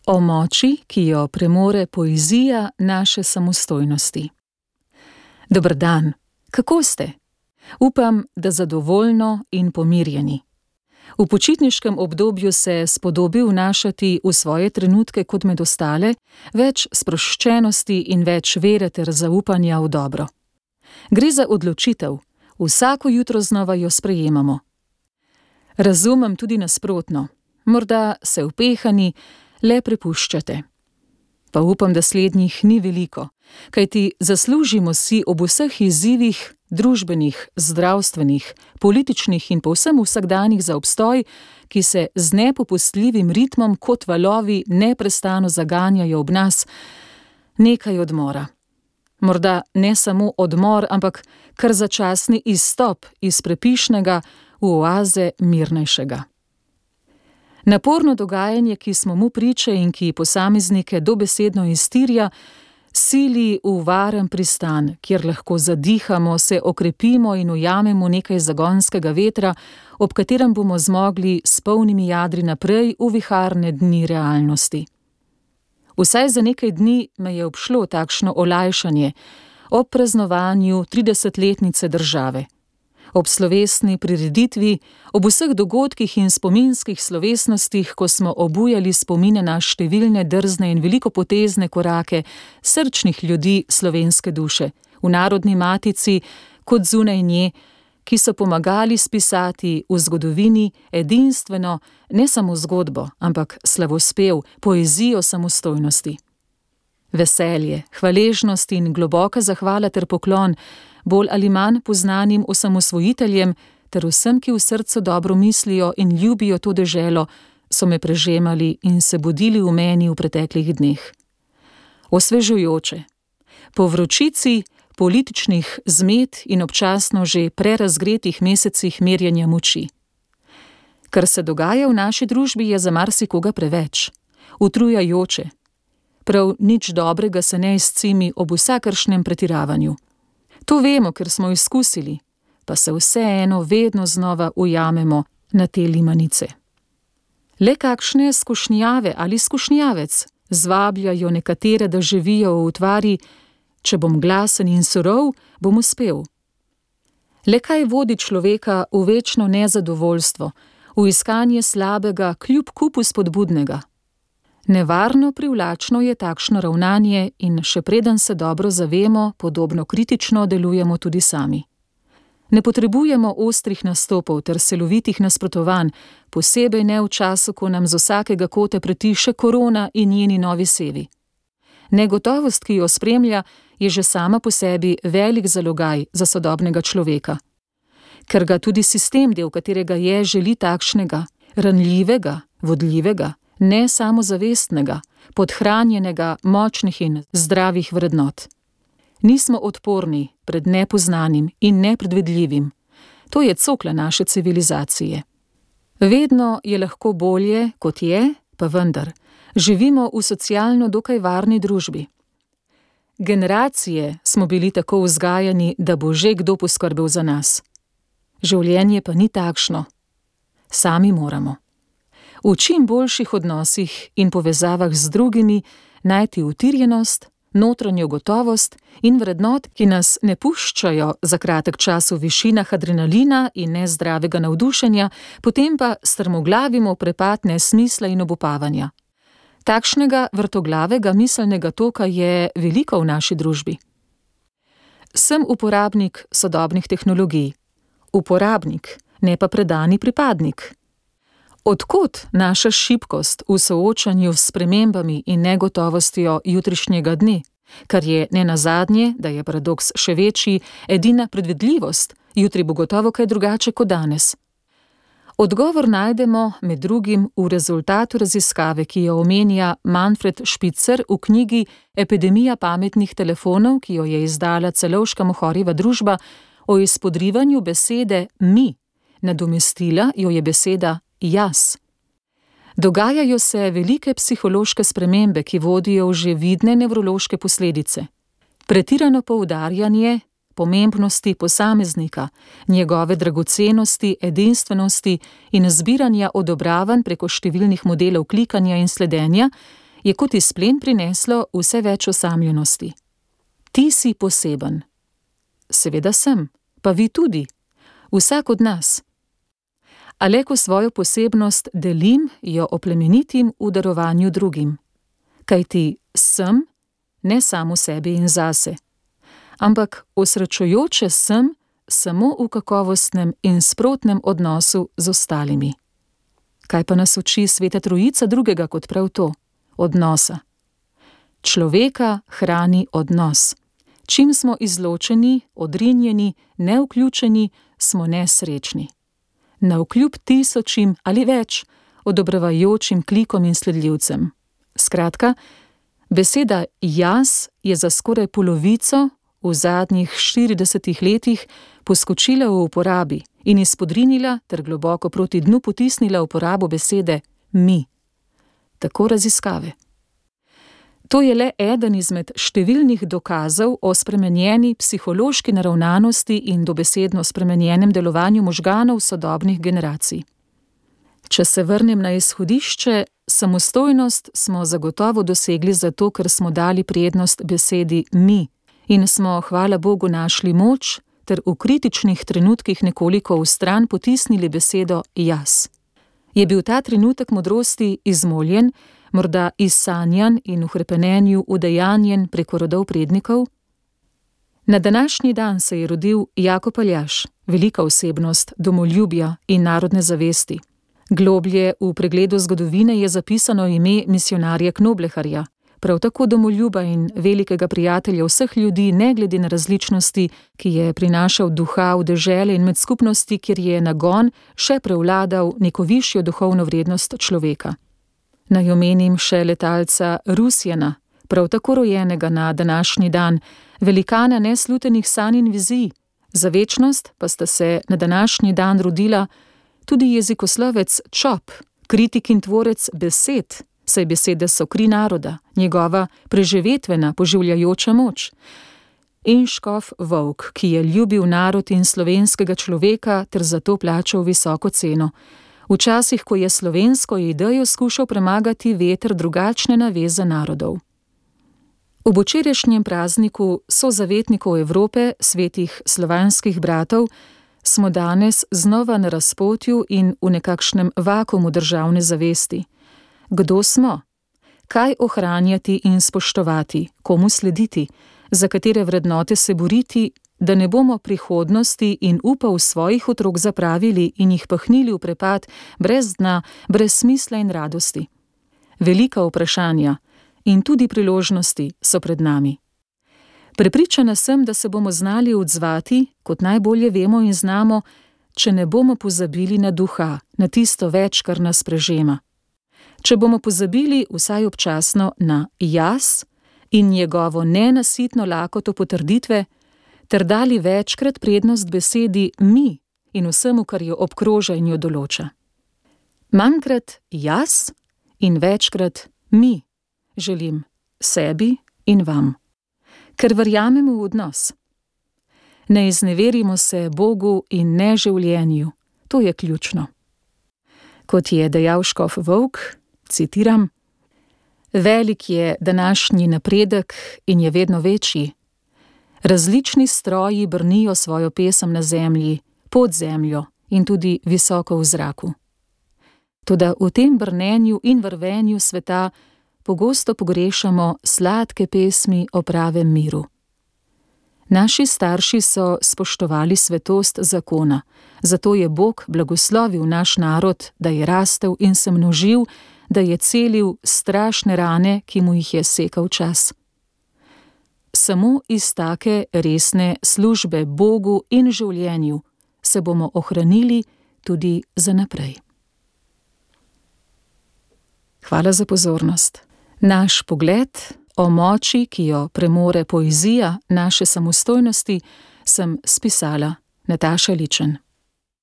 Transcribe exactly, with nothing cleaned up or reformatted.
O moči, ki jo premore poezija naše samostojnosti. Dober dan, kako ste? Upam, da zadovoljno in pomirjeni. V počitniškem obdobju se spodobi vnašati v svoje trenutke kot med ostale, več sproščenosti in več vere ter zaupanja v dobro. Gre za odločitev, vsako jutro znova jo sprejemamo. Razumem tudi nasprotno, morda se upehani le prepuščate. Pa upam, da slednjih ni veliko, kajti zaslužimo si ob vseh izzivih, družbenih, zdravstvenih, političnih in povsem vsakdanjih za obstoj, ki se z nepopustljivim ritmom kot valovi neprestano zaganjajo ob nas, nekaj odmora. Morda ne samo odmor, ampak kar začasni izstop iz prepišnega v oaze mirnejšega. Naporno dogajanje, ki smo mu priče in ki posameznike dobesedno iztirja, sili v varen pristan, kjer lahko zadihamo, se okrepimo in ujamemo nekaj zagonskega vetra, ob katerem bomo zmogli s polnimi jadri naprej v viharne dni realnosti. Vsaj za nekaj dni me je obšlo takšno olajšanje ob praznovanju tridesetletnice države. Ob slovesni prireditvi, ob vseh dogodkih in spominskih slovesnostih, ko smo obujali spomine na številne drzne in velikopotezne korake srčnih ljudi slovenske duše, v narodni matici kot zunaj nje, ki so pomagali spisati v zgodovini edinstveno ne samo zgodbo, ampak slavospev, poezijo samostojnosti. Veselje, hvaležnost in globoka zahvala ter poklon bolj ali manj poznanim osamosvojiteljem ter vsem, ki v srcu dobro mislijo in ljubijo to deželo, so me prežemali in se budili v meni v preteklih dneh. Osvežujoče. Po vročici, političnih zmed in občasno že prerazgretih mesecih merjenja moči. Kar se dogaja v naši družbi, je za marsikoga preveč, utrujajoče. Prav nič dobrega se ne izcimi ob vsakršnem pretiravanju. To vemo, ker smo izkusili, pa se vseeno vedno znova ujamemo na te limanice. Le kakšne skušnjave ali skušnjavec zvabljajo nekatere, da živijo v utvari, če bom glasen in surov, bom uspel. Le kaj vodi človeka v večno nezadovoljstvo, v iskanje slabega kljub kupu spodbudnega. Nevarno privlačno je takšno ravnanje in še preden se dobro zavemo, podobno kritično delujemo tudi sami. Ne potrebujemo ostrih nastopov ter silovitih nasprotovanj, posebej ne v času, ko nam z vsakega kota pretiše korona in njeni novi sevi. Negotovost, ki jo spremlja, je že sama po sebi velik zalogaj za sodobnega človeka. Ker ga tudi sistem, del katerega je, želi takšnega, ranljivega, vodljivega, ne samozavestnega, podhranjenega, močnih in zdravih vrednot. Nismo odporni pred nepoznanim in nepredvidljivim. To je cokla naše civilizacije. Vedno je lahko bolje, kot je, pa vendar. Živimo v socialno dokaj varni družbi. Generacije smo bili tako vzgajani, da bo že kdo poskrbel za nas. Življenje pa ni takšno. Sami moramo. V čim boljših odnosih in povezavah z drugimi najti utirjenost, notranjo gotovost in vrednot, ki nas ne puščajo za kratek čas v višinah adrenalina in nezdravega navdušenja, potem pa strmoglavimo prepad nesmisla in obupavanja. Takšnega vrtoglavega miselnega toka je veliko v naši družbi. Sem uporabnik sodobnih tehnologij. Uporabnik, ne pa predani pripadnik. Od kod naša šibkost v soočanju s spremembami in negotovostjo jutrišnjega dne, kar je nenazadnje, da je paradoks še večji, edina predvidljivost, jutri bo gotovo kaj drugače kot danes. Odgovor najdemo med drugim v rezultatu raziskave, ki jo omenja Manfred Spitzer v knjigi Epidemija pametnih telefonov, ki jo je izdala Celovška Mohorjeva družba, o izpodrivanju besede mi. Nadomestila jo je beseda jaz. Dogajajo se velike psihološke spremembe, ki vodijo v že vidne nevrološke posledice. Pretirano poudarjanje pomembnosti posameznika, njegove dragocenosti, edinstvenosti in zbiranja odobravanj preko številnih modelov klikanja in sledenja je kot izplen prineslo vse več osamljenosti. Ti si poseben. Seveda sem, pa vi tudi, vsak od nas. A le ko svojo posebnost delim, jo oplemenitim v darovanju drugim. Kajti sem ne samo sebi in zase, ampak osrečujoče sem samo v kakovostnem in sprotnem odnosu z ostalimi. Kaj pa nas uči Sveta Trojica drugega kot prav to? Odnosa. Človeka hrani odnos. Čim smo izločeni, odrinjeni, nevključeni, smo nesrečni. Navkljub tisočim ali več odobravajočim klikom in sledljivcem. Skratka, beseda jaz je za skoraj polovico v zadnjih štiridesetih letih poskočila v uporabi in izpodrinila ter globoko proti dnu potisnila uporabo besede mi. Tako raziskave. To je le eden izmed številnih dokazov o spremenjeni psihološki naravnanosti in dobesedno spremenjenem delovanju možganov sodobnih generacij. Če se vrnem na izhodišče, samostojnost smo zagotovo dosegli zato, ker smo dali prednost besedi mi in smo, hvala Bogu, našli moč ter v kritičnih trenutkih nekoliko vstran potisnili besedo jaz. Je bil ta trenutek modrosti izmoljen, morda izsanjan in v hrepenenju udejanjen preko rodov prednikov? Na današnji dan se je rodil Jakob Aljaž, velika osebnost domoljubja in narodne zavesti. Globlje v pregledu zgodovine je zapisano ime misijonarja Knobleharja, prav tako domoljuba in velikega prijatelja vseh ljudi, ne glede na različnosti, ki je prinašal duha v dežele in med skupnosti, kjer je nagon še prevladal neko višjo duhovno vrednost človeka. Naj omenim še letalca Rusjana, prav tako rojenega na današnji dan, velikana neslutenih sanj in vizij. Za večnost pa sta se na današnji dan rodila tudi jezikoslovec Čop, kritik in tvorec besed, saj besede so kri naroda, njegova preživetvena, poživljajoča moč. In škof Volk, ki je ljubil narod in slovenskega človeka ter zato plačal visoko ceno. Včasih, ko je slovensko idejo skušal premagati veter drugačne naveze narodov. Ob včerajšnjem prazniku sozavetnikov Evrope, svetih slovanskih bratov, smo danes znova na razpotju in v nekakšnem vakuumu državne zavesti. Kdo smo? Kaj ohranjati in spoštovati? Komu slediti? Za katere vrednote se boriti, da ne bomo prihodnosti in upov svojih otrok zapravili in jih pahnili v prepad brez dna, brez smisla in radosti? Velika vprašanja in tudi priložnosti so pred nami. Prepričana sem, da se bomo znali odzvati, kot najbolje vemo in znamo, če ne bomo pozabili na duha, na tisto več, kar nas prežema. Če bomo pozabili vsaj občasno na jaz in njegovo nenasitno lakoto potrditve, ter dali večkrat prednost besedi mi in vsemu, kar jo obkroža in jo določa. Manjkrat jaz in večkrat mi želim sebi in vam, ker verjamemo v odnos. Ne izneverimo se Bogu in ne življenju, to je ključno. Kot je dejal škof Volk, citiram, velik je današnji napredek in je vedno večji. Različni stroji brnijo svojo pesem na zemlji, pod zemljo in tudi visoko v zraku. Toda v tem brnenju in vrvenju sveta pogosto pogrešamo sladke pesmi o pravem miru. Naši starši so spoštovali svetost zakona, zato je Bog blagoslovil naš narod, da je rastel in se množil, da je celil strašne rane, ki mu jih je sekal čas. Samo iz take resne službe Bogu in življenju se bomo ohranili tudi za naprej. Hvala za pozornost. Naš pogled o moči, ki jo premore poezija naše samostojnosti, sem spisala Nataša Ličen.